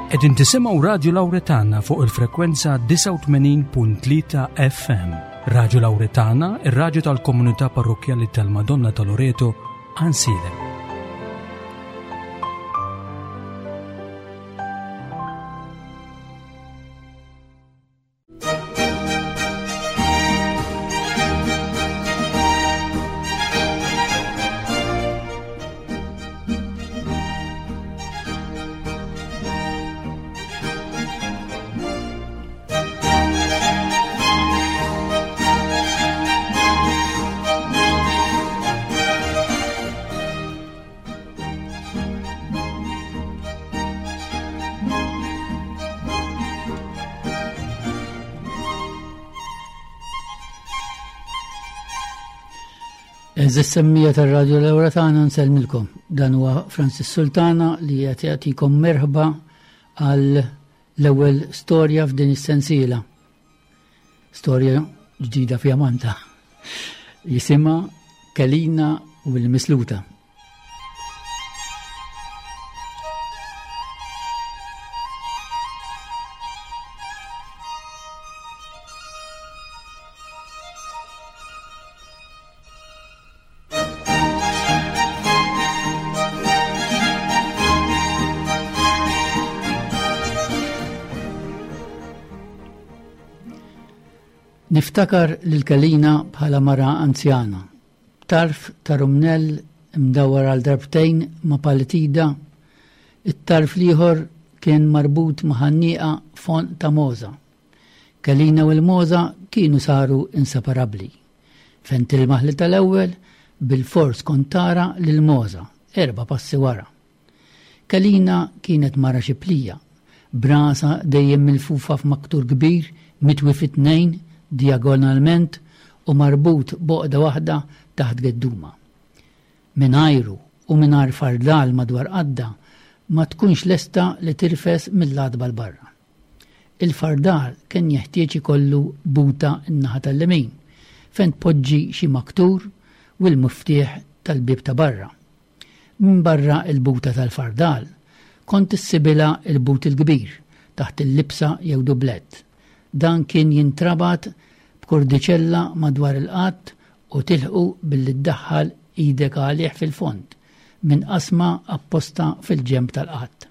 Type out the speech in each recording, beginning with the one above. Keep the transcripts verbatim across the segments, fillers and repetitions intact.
Qegħdin tisimgħu Radio Lauretana fuq il-frekwenza disgħa u tmenin punt tlieta F M. Radio Lauretana, ir-radju tal-Komunità Parrokkjali tal-Madonna ta' Loreto, Għajnsielem. Għeżież semmiegħa tar-Radio Lauretana, nsellmilkom. Dan huwa Francis Sultana li qed jagħtikom merħba għal l-ewwel storja f'din is-sensiela. Storja ġdida fjamanta. Jisimha Kelina u l-Misluta. Niftakar lil Kelina bħala mara anzjana. Tarf ta' rumnell imdawar għal darbtejn ma' palitida, it-tarf l-ieħor kien marbut ma' ħannieqa fon ta' moza. Kelina u l-moza kienu saru inseparabbli. Fejn tilmaħ li tal-ewwel bil-fors kont tara lil moza, erba' passi wara. Kelina kienet mara xiplija, b'rasha dejjem milfufa f'maktur kbir mitwi fit-tnejn diagonalment u marbut b'għoqda waħda taħt gedduma. Mingħajru u mingħajr fardal madwar qaddha ma tkunx lesta li tirfes mill-għatba 'l barra. Il-fardal kien jeħtieġ ikollu buta n-naħa tal-lemin fejn tpoġġi xi maktur u l-muftieħ tal-bib ta' barra. Min barra il-buta tal-fardal kont issibilha il-but il-kbir taħt il-libsa jew dublett. Dan kien jintrabat b'kordiċella madwar il-qadd u tilħqu billi ddaħħal idek għalih fil-fond minn qasma apposta fil-ġemb tal-qadd.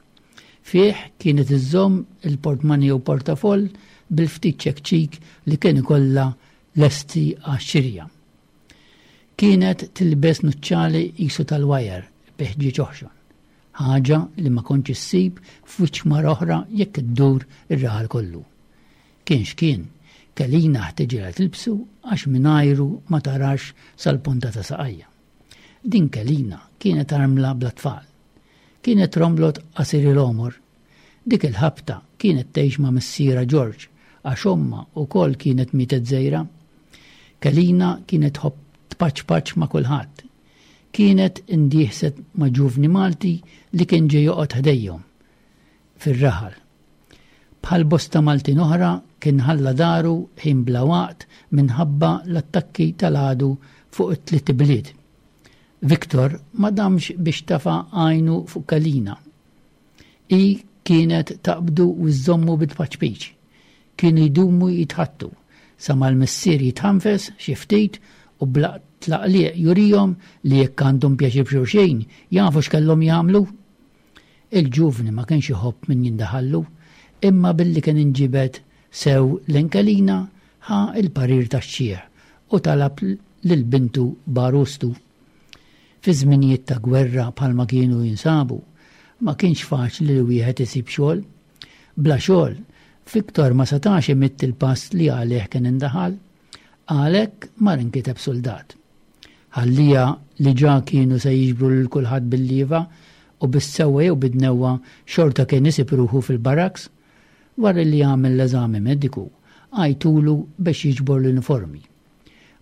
Fih kienet iżżomm il-portmani jew portafoll bil-ftit ċekċik li kien ikollha lesti għax-xirja. Kienet tilbes nuċċali qisu tal-wajer bi ħġieġ oħxon. Ħaġa li ma kontx issib f'wiċċ mara oħra jekk iddur ir-raħal kollu. Kien x'kien, Kelina ħtiġilha tilbsu għax mingħajru ma tarax sal-punta ta' saqajja. Din Kelina kienet armla bla tfal. Kienet romlot qasir il-għomor. Dik il-ħabta kienet tgħix ma' missierha George għax ommha wkoll kienet mietet żgħira. Kelina kienet tħobb tpaċpaċ ma' kulħadd. Kienet indieħset ma' ġuvni Malti li kien ġej joqgħod ħdejhom fir-raħal. Bħal bosta Maltin oħra kien ħalla daru ħin bla waqt minħabba l-attakki tal-għadu fuq it-tliet bliet. Victor ma damx biex tafa għajnu fuq Kelina. Hi kienet taqbdu u żżommu bit-paċpiċ. Kienu jdumu jitħaddtu, sa ma l-missier jitħanfes xi ftit u bla tlaqliq jurijom li jekk għandhom pjaċir b'xulxin jafu x'kellhom jagħmlu. Il-ġuvni ma kienx iħobb min jindaħallu, imma billi kien inġibed sew lejn Kelina ħa il-parir tax-xiħ u talab lil bintu b'għarustu. Fi żminijiet ta' gwerra bħalma kienu jinsabu, ma kienx faċli li wieħed isib xogħol. Bla xogħol, Victor ma setax imidd il-pass li għalih kien indaħal, għalhekk mar inkiteb soldat. Ħallija li ġa kienu se jiġbru lil kulħadd bil-liva u bis-sewwa jew bid-dnewwa xorta kien isib ruħu fil-barracks. Wara li għamel l-eżami mediku, għajtulu biex jiġbor l-uniformi.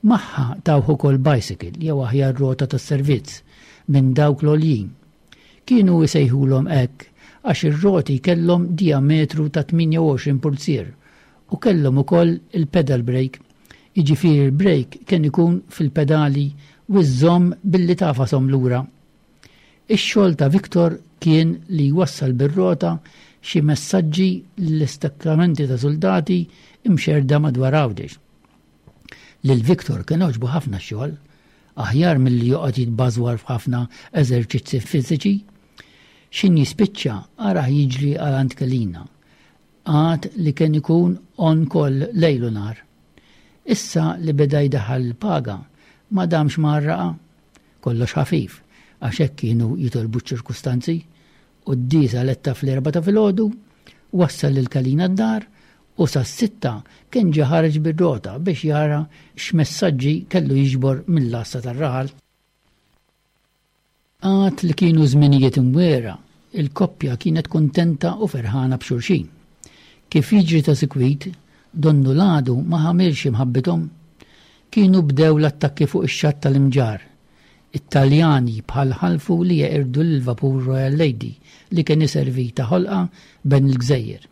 Magħha tawh ukoll bicycle jew aħjar rota tas-servizz minn dawk l-għoljin. Kienu jsejħulhom hekk għax ir-roti kellhom diametru ta' tmienja u għoxrin pulzier u kellhom ukoll il-pedal brake. Jiġifieri il-brake kien ikun fil-pedali u żżomm billi tagħfashom lura. Ix-xogħol ta' Victor kien li jwassal bir-rota xi messaġġi lill-istakkamenti ta' soldati imxerda madwar Għawdex. Lil Victor kien għoġbu ħafna xogħol, aħjar milli joqgħod jitbażwar f'ħafna eżerċizzi fiżiċi. X'ħin jispiċċa arah jiġri għal għand Kelina. Għad li kien ikun on call lejl u nhar. Issa li beda jdaħħal il-paga, ma damx ma għarraqha. Kollox ħafif, għax hekk kienu jitolbu ċ-ċirkustanzi. Quddiesa letta fl-erbgħa ta' filgħodu, wassal lil Kelina d-dar u sas-sitta kien ġa ħareġ bir-rota biex jara x'messaġġi kellu jiġbor mill-għassa tar-raħal. Għad li kienu żminijiet imwiegħra, il-koppja kienet kuntenta u ferħana b'xulxin. Kif jiġri ta' sikwit, donnu l-għadu ma ħamilx imħabbithom. Kienu bdew l-attakki fuq ix-xatt tal-Imġarr. It-Taljani bħal ħalfu li jeqirdu l-vapur Royal Lady li kien iservi ta' ħolqa bejn il-gżejjer.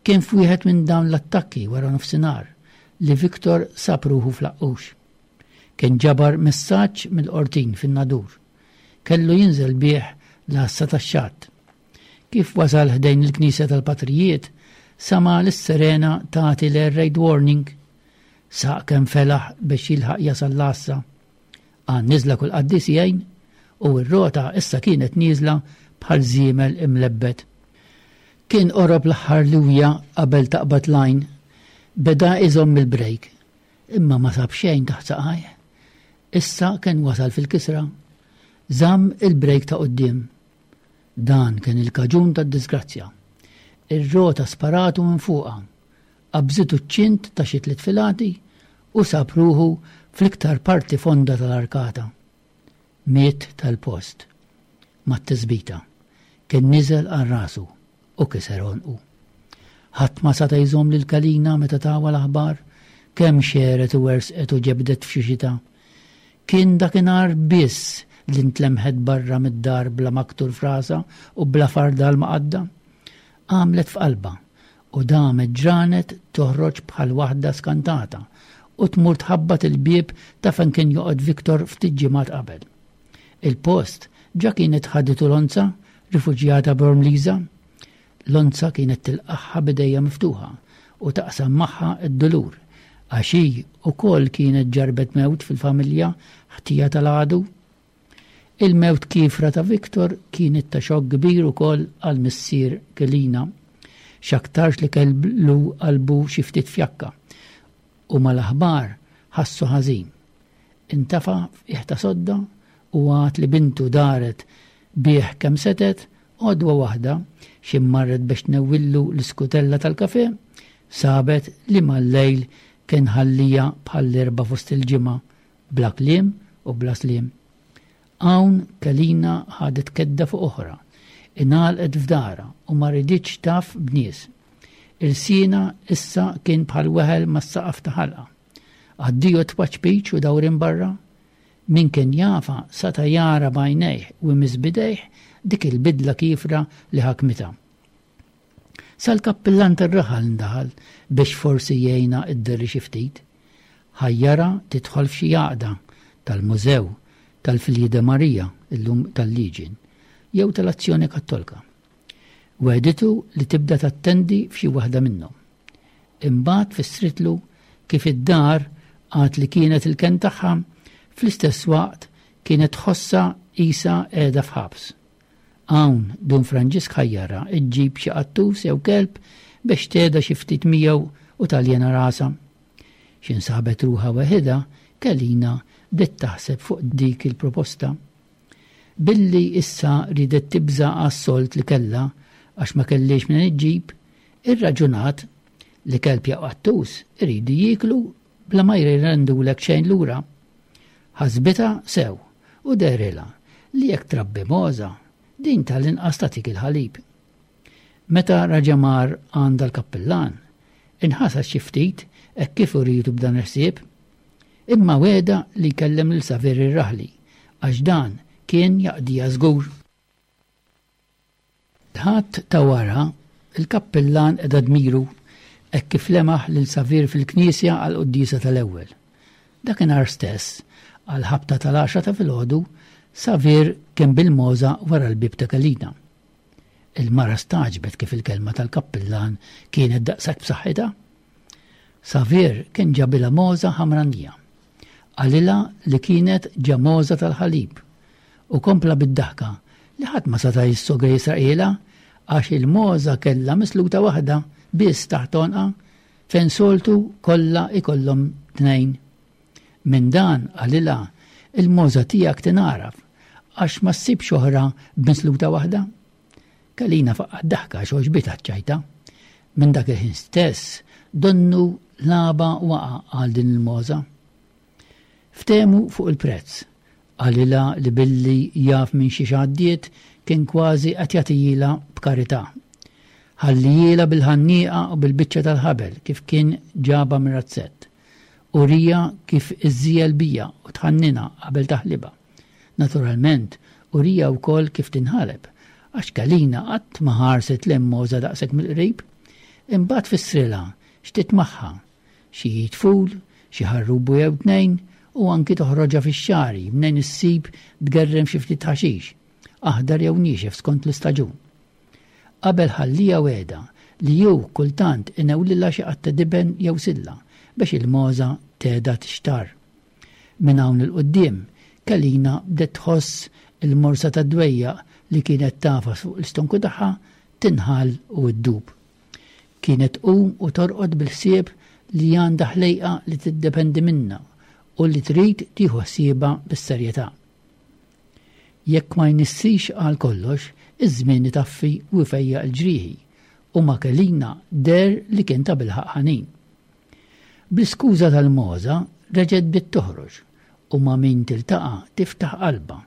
Kien f'wieħed minn dawn l-attakki wara nofsinhar li Victor sab ruħu fl-Aqqux. Kien ġabar messaġġ mill-Qortin fin-Nadur. Kellu jinżel bih l-għassa tax-xatt. Kif wasal ħdejn il-Knisja tal-Patrijiet, sama l-sirena tagħti l-air raid warning. Saq kemm felaħ biex jilħaq jasal l-għassa. Għan niżla kull qaddis jgħin u r-rota issa kienet nieżla bħal żiemel imlebbet. Kien qorob l-aħħar liwja qabel taqbad lajn, beda iżomm il-brejk, imma ma sab xejn taħt saqajh. Issa kien wasal fil-kisra, żamm il-brejk ta' quddiem. Dan kien il-kaġun tad-disgrazzja. Ir-rota sparatu minn fuqha, qabżitu ċ-ċint ta' xi tliet filati u sab ruħu fl-iktar parti fonda tal-arkata. Miet tal-post, mat-tisbita, kien niżel għal rasu u kiser għonqu. Ħadd ma seta' jżomm lil Kelina meta tawa l-aħbar, kemm xeret u wersqet u ġebdet f'xi xita. Kien dakinhar biss li ntlemħet barra mid-dar bla maktur frasa u bla fardal maqadda. Għamlet f'qalba u damet ġranet toħroġ bħal waħda skantata u tmur tħabbat il-bieb ta' fejn kien joqgħod Victor ftit ġimgħat qabel. Il-post ġa kienet ħaditu Lonza, rifuġjata Bormliża. Lonza kienet tilqaħħa b'idejha miftuħa u taqsam magħha d-dulur, għax hi wkoll kienet ġarbet mewt fil-familja ħtija tal-għadu. Il-mewt kifra ta' Victor kienet ta' xokk kbir ukoll għal missier Kelina, x'aktarx li kellu qalbu xi ftit fjakka u mal-aħbar ħassu ħażin. Intafa' f'qiegħ ta' sodda u għad li bintu daret bih kemm setet, għodwa waħda xi marret biex tnewwillu l-iskutella tal-kafe, sabet li mal-lejl kien ħallija bħall-erba' fost il-ġimgħa bla kliem u bla sliem. Hawn Kelina ħadet kedda fuq oħra, ingħalqet f'dara u ma riditx taf b'nies. Il-sina issa kien bħal weħel mas-saqaf ta' ħalqa. Addio tpaċpiċ u dawrin barra. Min kien jafa sata jara b'għajnejh u jmiss b'idejh dik il-bidla kifra li ħakmitha. Sal-kappillan tar-raħal ndaħal biex forsi jgħinha id-derri xi ftit. Ħajjara tidħol f'xi għaqda tal-Mużew tal-Filji de Maria, illum tal-Legion, jew tal-Azzjoni Kattolika. Wegħditu li tibda tattendi f'xi waħda minnhom. Imbagħad fissritlu kif id-dar għad li kienet il-ken tagħha, fl-istess waqt kienet tħossha qisha qiegħda f'ħabs. Hawn Dun Franġisk ħajjara iġġib xi qattus jew kelb biex tgħedha xi ftit miegħu u taljena rasha. X'insabet ruħha weħidha, Kelina bdiet taħseb fuq dik il-proposta. Billi issa ridet tibża' għas-sold li kellha għax ma kellix minn iġġib, irraġunat li kelb jew qattus iridu jieklu bla ma jrendulek xejn lura. Ħasbitha sew u dehrilha li jekk trabbi mogħża din tal-inqas tagħtik il-ħalib. Meta raġa' mar għand l-kappillan, inħasad xi ftit hekk kif uritu b'dan il-ħsieb, imma wegħda li jkellem lil Saver ir-Raħli għax dan kien jaqdija żgur. Ħadd ta' wara il-kappillan qeda dmiru hekk kif lemaħ lil Saver fil-knisja għal quddiesa tal-ewwel. Dakinhar stess, għal ħabta tal-għaxra ta' filgħodu, Saver kien bil-mogħża wara l-bieb ta' Kelina. Il-mara staġbet kif il-kelma tal-kappillan kienet daqshekk b'saħħitha. Savier kien ġabilha mogħża ħamranija. Qalilha li kienet ġa mogħża tal-ħalib u kompla bid-daħka li ħadd ma seta' jissogra jisraqhielha għax il-mogħża kellha misluta waħda biss taħt għonqha fejn soltu kollha ikollhom tnejn. Minn dan qalilha il-mogħża tiegħek tingħaraf għax ma ssibx oħra b'misluta waħda. Kalina faqqgħet daħka għax għoġbitha ċ-ċajta. Minn dak il-ħin stess donnu laba waqa' għal din il-mogħża. Ftehmu fuq il-prezz. Qalilha li billi jaf minn xiex għaddiet kien kważi qed jagħtihielha b'karità. Ħallihielha bil-ħannieqa u bil-biċċa tal-ħabel kif kien ġabha mir-razzett. Uriha kif iżżiegħel biha u tħanninha qabel taħlibha. Naturalment, uriha wkoll kif tinħaleb, għax Kalina qatt ma ħarset lejn mogħża daqshekk mill-qrib. Imbagħad fissrilha x'titmagħha, xi tful, xi ħarrubu jew tnejn, u anki toħroġha fix-xagħri mnejn issib tgerrem xi ftit ħaxix, aħdar jew niexef skont l-istaġun. Qabel ħalliha wegħda li hu kultant inewlilha xi qatta diben jew silla biex il-mogħża tgħeda tixtarr. Minn hawn 'il quddiem, Kalina bdiet tħoss il-morsa tad-dwejjaq li kienet tagħfas fuq l-istonku tagħha tinħall u ddub. Kienet tqum u torqod bil-ħsieb li għandha ħlejqa li tiddependi minnha u li trid tieħu ħsiebha bis-serjetà. Jekk ma jnissix għal kollox, iż-żmien itaffi u jfejjaq il-ġrieħi u ma' Kelina deher li kien tabilħaqq ħanin. Bl-iskuża tal-mogħża reġgħet bdiet toħroġ u ma' min tiltaqa' tiftaħ qalbha.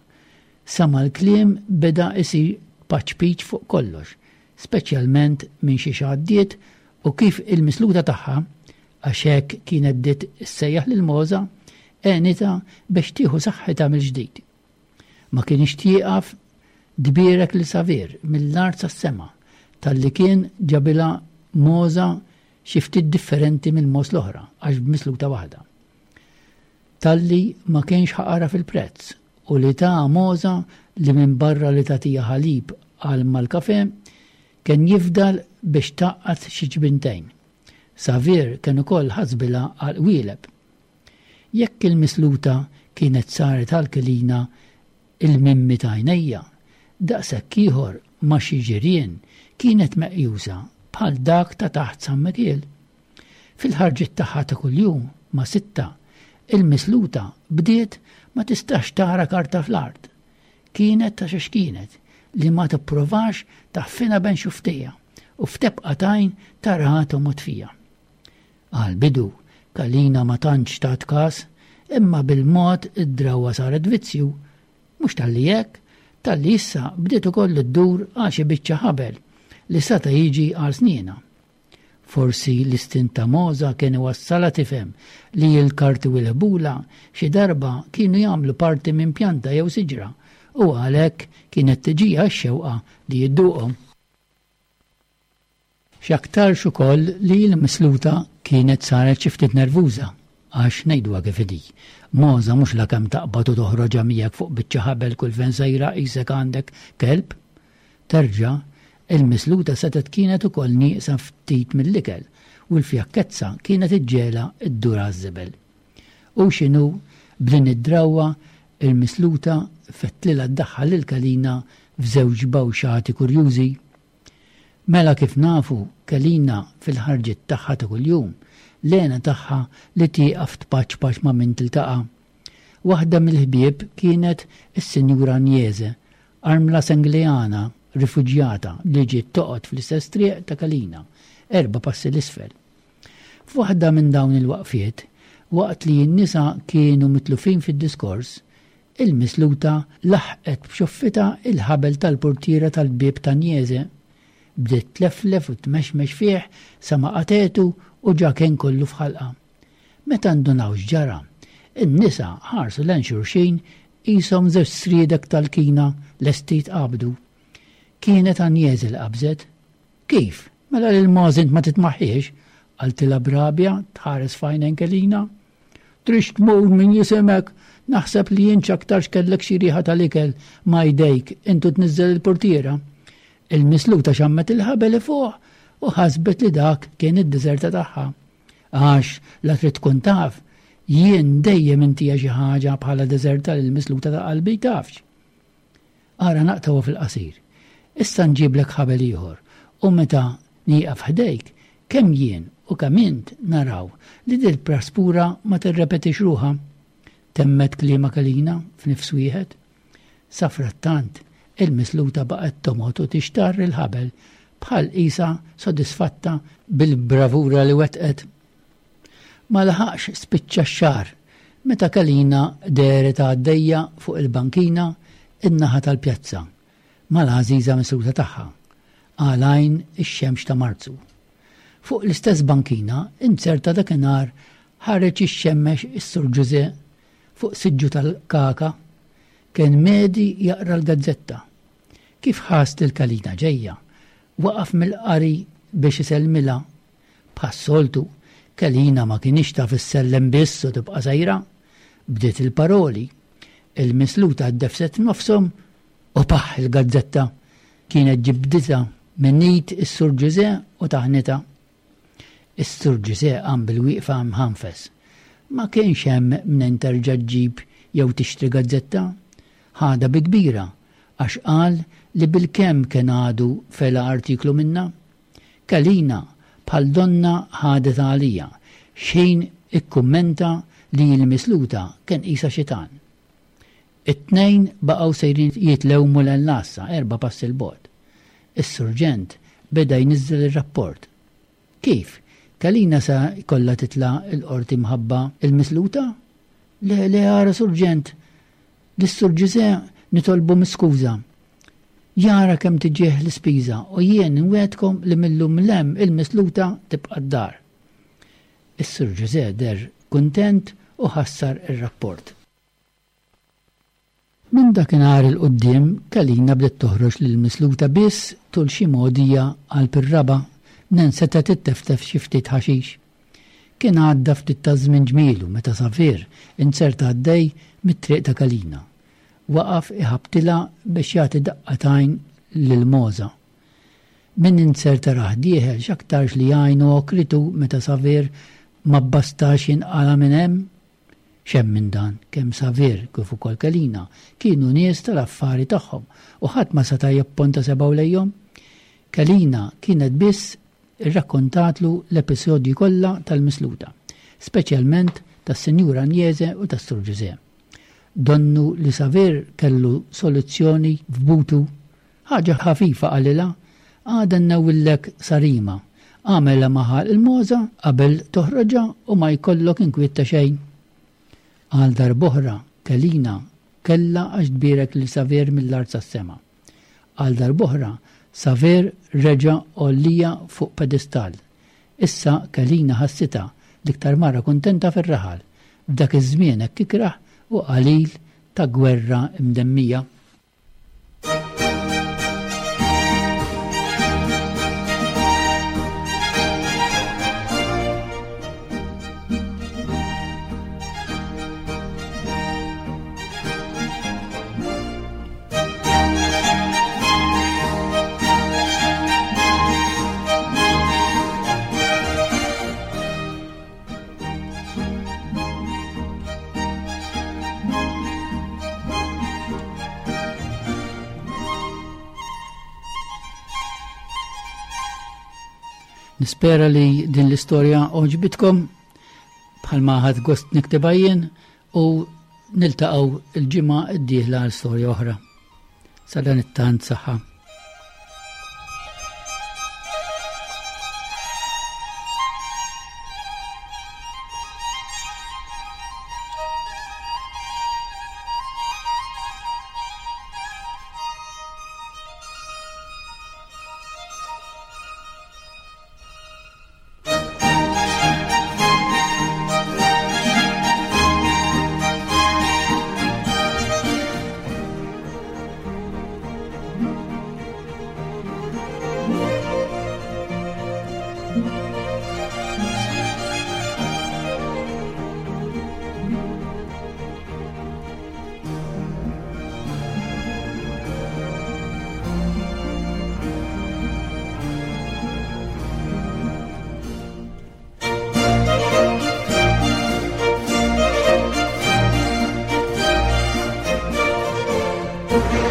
Sa ma l-kliem beda isir paċpiċ fuq kollox, speċjalment minn xi għaddiet u kif il-misluta tagħha, għax hekk kienet bdiet issejjaħ lil mogħża, għenitha biex tieħu saħħitha mill-ġdid. Ma kienx tieqaf tbierek lil Savier mill-art sas-sema talli kien ġabilha mogħża xi ftit differenti mill-mogħoż l-oħra għax b'misluta waħda. Talli ma kienx ħaqarha fil-prezz u li ta mogħża li minn barra li tagħtiha ħalib għal mal-kafe kien jifdal biex tgħaqqad xi ġbintejn. Savier kien ukoll ħasbilha għal qwieleb. Jekk il-misluta kienet saret għal Kelina il-mimmi ta' għajnejha, daqshekk ieħor ma' xi ġirien kienet meqjusa bħal dak ta' taħt San Mikiel. Fil-ħarġiet tagħha ta' kuljum ma' sitta, il-misluta bdiet ma tistax tara karta fl-art. Kienet ta' xiex kienet li ma tipprovax taħfinha bejn xufftejha u f'tebqa t'għajn taraha tomgħod fija. Għal bidu, Kalina ma tantx tat kas, imma bil-mod id-drawwa saret vizzju. Mhux talli hekk, talli issa bdiet ukoll iddur għal xi biċċa ħabel li seta' jiġi għal sniena. Forsi l-istint ta' mogħża kien iwassalha tifhem li l-karti u l-ħbula xi darba kienu jagħmlu parti minn pjanta jew siġra u għalhekk kienet tiġiha x-xewqa li jidduqhom. X'aktarx ukoll li l-misluta kienet saret xi ftit nervuża għax ngħiduha kif inhi. Mogħża mhux la kemm taqbad u toħroġha miegħek fuq biċċa ħabel kull fejn sejra qisek għandek kelb. Terġa' il-misluta setgħet kienet ukoll nieqsa ftit mill-ikel u l-fjakkezza kienet iġġegħelha ddur għaż-żibel. U x'inhu b'din id-drawwa il-misluta fettlilha ddaħħal lil Kalina f'żewġ bawxati kurjużi. Mela kif nafu Kalina fil-ħarġiet tagħha ta' kuljum, l-għena tagħha li tieqaf tpaċpaċ ma' min tiltaqa'. Waħda mill-ħbieb kienet is-Sinjura Agnese, armla Sengleana, rifuġjata li ġiet toqgħod fl-istess triq ta' Kalina, erba' passi 'l isfel. F'waħda minn dawn il-waqfiet, waqt li n-nisa kienu mitlufin fid-diskors, il-misluta laħqet b'xuffitha il-ħabel tal-portiera tal-bieb ta' Agnese. Bdiet tleflef u tmexmex fih sa ma qatetu u ġa kien kollu f'ħalqa. Meta ndunaw x'ġara, in-nisa ħarsu lejn xulxin qishom żewġ sriedek tal-kina lesti jitqabdu. Kienet Agnese li qabżet. Kif? Mela lil mogħoż int ma titmaħħiex? Qaltilha b'rabja tħares f'għajnejn Kelina. Trix tmur min jisimek, naħseb li jien x'aktarx kellek xi riħa tal-ikel ma' jdejk intu tniżżel il-portiera. Il-misluta xammet il-ħabel fuq u ħasbet li dak kien id-deżerta tagħha. Għax la trid tkun taf, jien dejjem intija xi ħaġa bħala deżerta lil misluta ta' qalbi tafx. Ara naqtgħu fil-qasir. Issa nġiblek ħabel ieħor u meta nieqaf ħdejk kemm jien u kemm int naraw li dil praspura ma tirrepetix ruħha. Temmet kliema Kalina f'nifs wieħed. Safrattant, il-misluta baqgħet tomgħod u tixtarr il-ħabel bħal qisha sodisfatta bil-bravura li wetqet. Ma laħaqx spiċċa x-xahar meta Kalina dehret għaddejja fuq il-bankina in-naħa tal-pjazza mal-għażiża misluta tagħha għal għajn ix-xemx ta' Marzu. Fuq l-istess bankina inzerta dakinhar ħareġ ixxemmex is-Sur Ġuże fuq siġġu tal-kaka kien medi jaqra l-gazzetta. Kif ħass lil Kalina ġejja, waqaf mill-qari biex isellmilha. Bħas-soltu, Kalina ma kienx taf issellem biss u tibqa' sejra. Bdiet il-paroli. Il-misluta ddefset nofshom u paħ il-gazzetta kienet ġibditha minn id is-Sur Ġuże u taħnitha. Is-Sur Ġuże qam bil-wieqfa mħanfes. Ma kienx hemm minn terġa' ġġib jew tixtri gazzetta. Ħadha bi kbira għax qal li bilkemm kien għadu fela artiklu minnha. Kalina bħal donna ħadet għalija xejn ikkummenta li l-misluta kien qisha xitan. It-tnejn baqgħu sejrin jitlewmu l-lassa erba' passi 'l bogħod. Is-surġent beda jniżżel ir-rapport. Kif? Kalina sa jkollha titla' l-qorti mħabba il-misluta? Le, le, ara surġent, lis-Sur Ġuże nitolbu miskuża. Jara kemm tiġih l-ispiża u jien nwedkom li millum lem il-misluta tibqa' d-dar. Is-Sur Ġuże der kuntent u ħassar ir-rapport. Minn dakinhar 'il quddiem Kalina bdiet toħroġ lill-misluta biss tul xi mogħdija qalb ir-raba' nen setgħet itteftef xi ftit ħaxix. Kien għadda ftit ta' żmien ġmielu meta Savir inzerta għaddej mit-triq ta' Kalina. Waqaf iħabtilha biex jagħti daqqa t'għajn lil Moza. Min inzerta rah dieħel x'aktarx li għajnu okritu meta Savir ma bbastax jinqala minn hemm. X'hemm minn dan, kemm Savir kif ukoll Kalina kienu nies tal-affari tagħhom u ħadd ma seta' jipponta sebgħu lejhom. Kalina kienet biss irrakkontatlu l-episodji kollha tal-misluta, speċjalment tas-Sinjura Agnese u tas-Sur Ġuże. Donnu li Savir kellu soluzzjoni f'butu, ħaġa ħafifa qalilha, għada nnewwillek sarima, għamela maħal il-moza qabel toħroġha u ma jkollok inkwiet ta' xejn. Għal darb'oħra Kalina kellha għax tbierek lil Savir mill-art sas-sema. Għal darb'oħra Savir reġa' għollija fuq pedestal. Issa Kalina ħassitha l-iktar mara kuntenta fir-raħal f'dak iż-żmien hekk ikrah u qalil ta' gwerra imdemmija. Nispera li din l-istorja għoġbitkom bħalma ħadt gost niktibha jien u niltaqgħu l-ġimgħa d-dieħla għal storja oħra. Sa dan it-tant saħħa. Thank you.